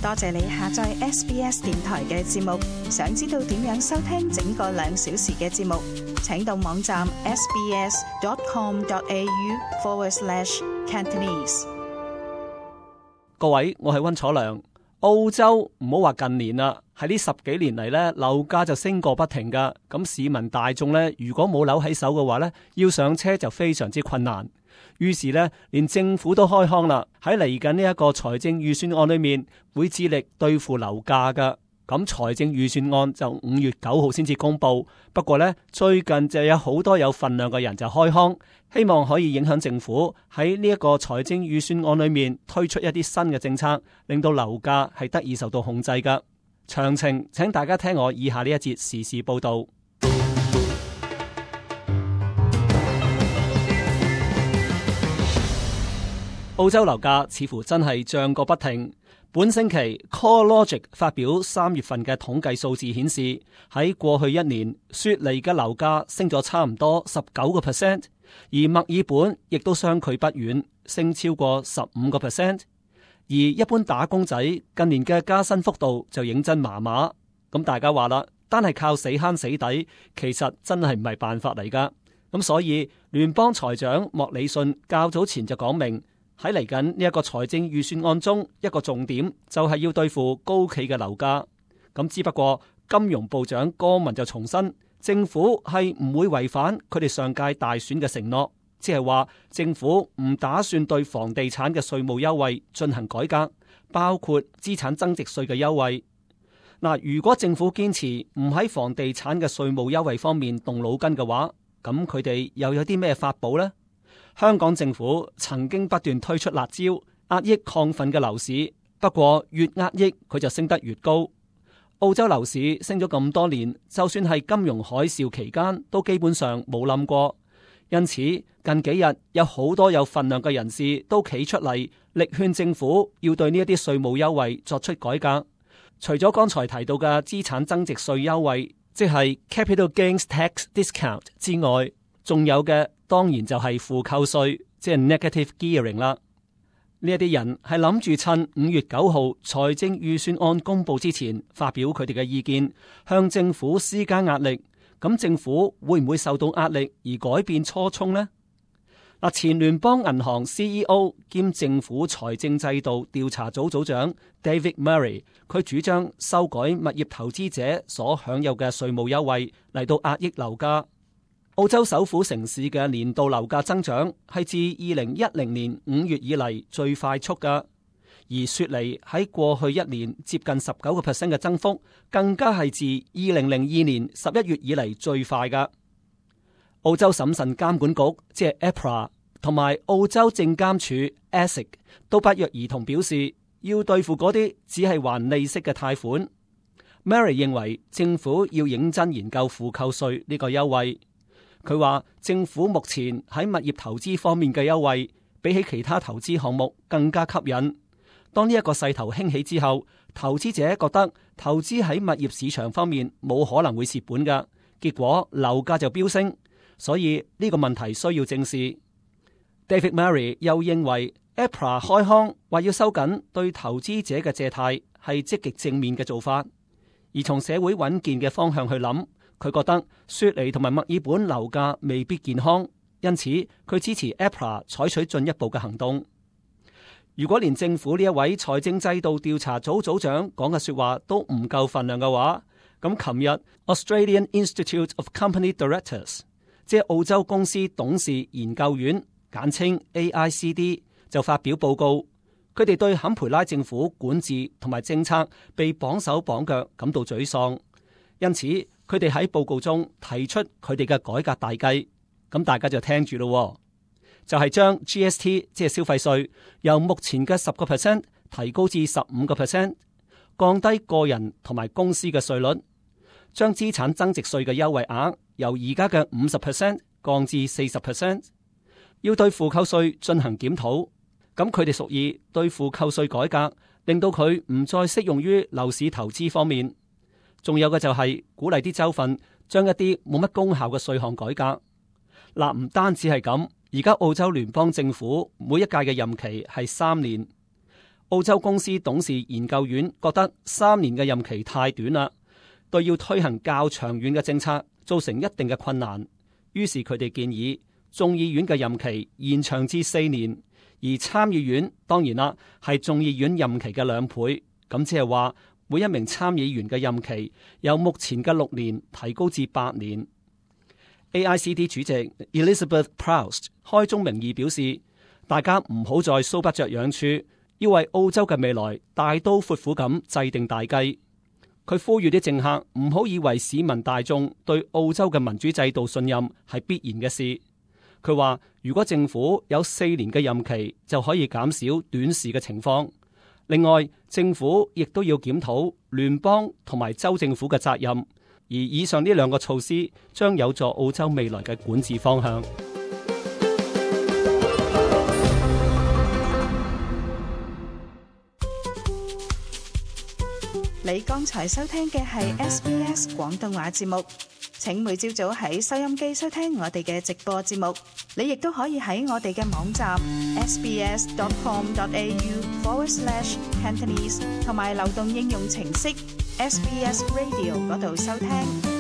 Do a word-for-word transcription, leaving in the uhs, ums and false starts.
多謝你下載 S B S 電台嘅節目。想知道點樣收聽整個兩小時嘅節目，請到網站 sbs.com.au forward slash Cantonese。各位，我係溫楚良。澳洲唔好話近年啦，喺呢十幾年嚟呢，樓價就升過不停噶。咁市民大眾呢，如果冇樓喺手嘅話呢，要上車就非常之困難。於是呢，連政府都開腔啦，喺嚟緊呢一個財政預算案裏面，會致力對付樓價噶。咁財政預算案就五月九號先至公布。不過呢，最近就有好多有份量嘅人就開腔，希望可以影響政府喺呢一個財政預算案裏面推出一啲新嘅政策，令到樓價係得以受到控制噶。詳情請大家聽我以下呢一節時事報道。澳洲樓價似乎真係漲個不停。本星期 CoreLogic 發表三月份嘅統計數字顯示，喺過去一年雪梨嘅樓價升咗差唔多十九個 percent， 而墨爾本亦都相距不遠，升超過十五個 percent。而一般打工仔近年嘅加薪幅度就認真麻麻。咁大家話啦，單係靠死慳死抵，其實真係唔係辦法嚟噶。咁所以聯邦財長莫里遜較早前就講明，喺嚟緊呢一個財政預算案中，一個重點就係要對付高企嘅樓價。咁只不過金融部長戈文就重申，政府係唔會違反佢哋上屆大選嘅承諾，即係話政府唔打算對房地產嘅稅務優惠進行改革，包括資產增值稅嘅優惠。嗱，如果政府堅持唔喺房地產嘅稅務優惠方面動腦筋嘅話，咁佢哋又有啲咩法寶呢？香港政府曾經不斷推出辣招，壓抑亢奮嘅樓市，不過越壓抑佢就升得越高。澳洲樓市升咗咁多年，就算係金融海嘯期間都基本上冇冧過。因此近幾日有好多有份量嘅人士都企出嚟，力勸政府要對呢一啲稅務優惠作出改革。除咗剛才提到嘅資產增值稅優惠，即係 Capital Gains Tax Discount 之外，仲有嘅當然就係負扣稅，即係 Negative Gearing 啦。呢一啲人係諗住趁五月九號財政預算案公布之前發表佢哋嘅意見，向政府施加壓力。咁政府會唔會受到壓力而改變初衷呢？嗱，前聯邦銀行 C E O 兼政府財政制度調查組組長 David Murray， 佢主張修改物業投資者所享有嘅稅務優惠嚟到壓抑樓價。澳洲首府城市嘅年度樓價增長係自二零一零年五月以嚟最快速㗎，而雪梨喺過去一年接近十九個 percent 嘅增幅，更加係自二零零二年十一月以嚟最快㗎。澳洲審慎監管局即係 A P R A 同埋澳洲證監署 A S I C 都不約而同表示，要對付嗰啲只係還利息嘅貸款。Mary 認為政府要認真研究負扣稅呢個優惠。佢話政府目前喺物業投資方面嘅優惠，比起其他投資項目更加吸引。當呢一個勢頭興起之後，投資者覺得投資喺物業市場方面冇可能會蝕本㗎，結果樓價就飆升。所以呢個問題需要正視。David Murray 又認為 A P R A 開腔話要收緊對投資者嘅借貸係積極正面嘅做法，而從社會穩健嘅方向去諗。佢覺得雪梨同埋墨爾本樓價未必健康，因此佢支持 A P R A 採取進一步嘅行動。如果連政府呢一位財政制度調查組組長講嘅說話都唔夠份量嘅話，咁琴日 Australian Institute of Company Directors， 即係澳洲公司董事研究院，簡稱 A I C D， 就發表報告，佢哋對坎培拉政府管治同埋政策被綁手綁腳感到沮喪，因此佢哋喺報告中提出佢哋嘅改革大計，咁大家就聽住咯，就係將 G S T 即係消費稅由目前嘅十個 percent 提高至十五個 percent， 降低個人同埋公司嘅稅率，將資產增值稅嘅優惠額由而家嘅五十 percent 降至四十 percent， 要對負扣稅進行檢討。咁佢哋屬意對負扣稅改革，令到佢唔再適用於樓市投資方面。仲有嘅就係鼓勵啲州份將一啲冇乜功效嘅稅項改革。嗱，唔單止係咁，而家澳洲聯邦政府每一屆嘅任期係三年。澳洲公司董事研究院覺得三年嘅任期太短啦，對要推行較長遠嘅政策造成一定嘅困難。於是佢哋建議眾議院嘅任期延長至四年，而參議院當然啦係眾議院任期嘅兩倍，咁即係話每一名參議員嘅任期由目前嘅六年提高至八年。A I C D 主席 Elizabeth Proust 開宗明義表示，大家唔好再搔不着癢處，要為澳洲嘅未來大刀闊斧咁制定大計。佢呼籲啲政客唔好以為市民大眾對澳洲嘅民主制度信任係必然嘅事。佢話如果政府有四年嘅任期，就可以減少短視嘅情況。另外，政府亦都要檢討聯邦同埋州政府嘅責任，而以上呢兩個措施將有助澳洲未來嘅管治方向。你剛才收聽嘅係 S B S 廣東話節目，請每朝早喺收音機收聽我哋嘅直播節目。你亦都可以喺我哋嘅網站 sbs.com.au forward slash Cantonese 同埋流動應用程式 S B S Radio 嗰度收聽。